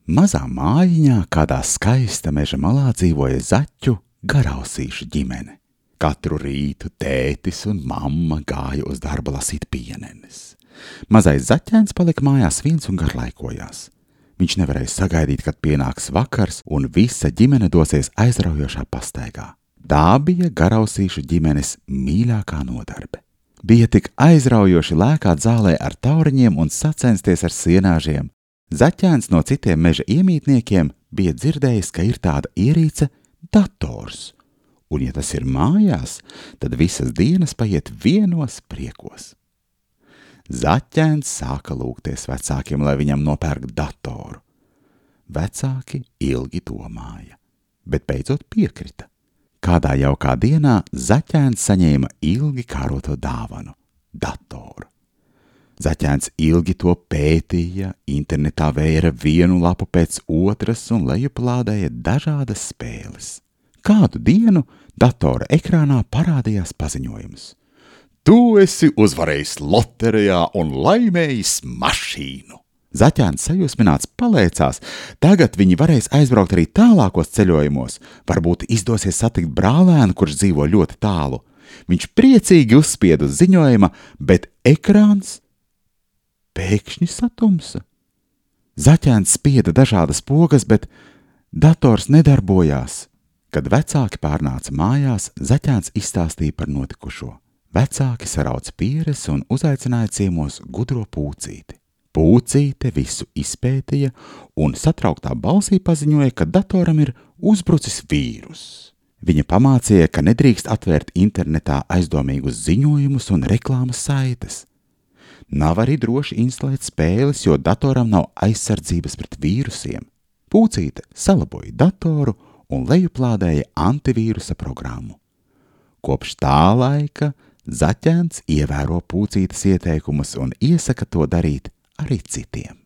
Mazā mājiņā kādā skaista meža malā dzīvoja zaķu garausīšu ģimene. Katru rītu tētis un mamma gāja uz darbu lasīt pienenes. Mazais zaķēns palika mājās viens un garlaikojās. Viņš nevarēja sagaidīt, kad pienāks vakars un visa ģimene dosies aizraujošā pastaigā. Tā bija garausīšu ģimenes mīļākā nodarbe. Bija tik aizraujoši lēkāt zālē ar tauriņiem un sacensties ar sienāžiem. Zaķēns no citiem meža iemītniekiem bija dzirdējis, ka ir tāda ierīce dators, un ja tas ir mājās, tad visas dienas paiet vienos priekos. Zaķēns sāka lūgties vecākiem, lai viņam nopērk datoru. Vecāki ilgi domāja, bet beidzot piekrita. Kādā jaukā dienā zaķēns saņēma ilgi kāroto dāvanu – datoru. Zaķēns ilgi to pētīja, internetā vēra vienu lapu pēc otras un lejuplādēja dažādas spēles. Kādu dienu datora ekrānā parādījās paziņojums. Tu esi uzvarējis loterijā un laimējis mašīnu. Zaķēns sajūsmināts palēcās, tagad viņi varēs aizbraukt arī tālākos ceļojumos, varbūt izdosies satikt brālēnu, kurš dzīvo ļoti tālu. Viņš priecīgi uzspieda uz ziņojuma, bet ekrāns pēkšņi satumsa. Zaķēns spieda dažādas pogas, bet dators nedarbojās. Kad vecāki pārnāca mājās, zaķēns izstāstīja par notikušo. Vecāki sarauca pieres un uzaicināja ciemos gudro Pūcīti. Pūcīte visu izpētīja un satrauktā balsī paziņoja, ka datoram ir uzbrucis vīrus. Viņa pamācīja, ka nedrīkst atvērt internetā aizdomīgus ziņojumus un reklāmas saites. Nav arī droši instalēt spēles, jo datoram nav aizsardzības pret vīrusiem. Pūcīte salaboja datoru un lejuplādēja antivīrusa programmu. Kopš tā laika zaķēns ievēro Pūcītes ieteikumus un iesaka to darīt arī citiem.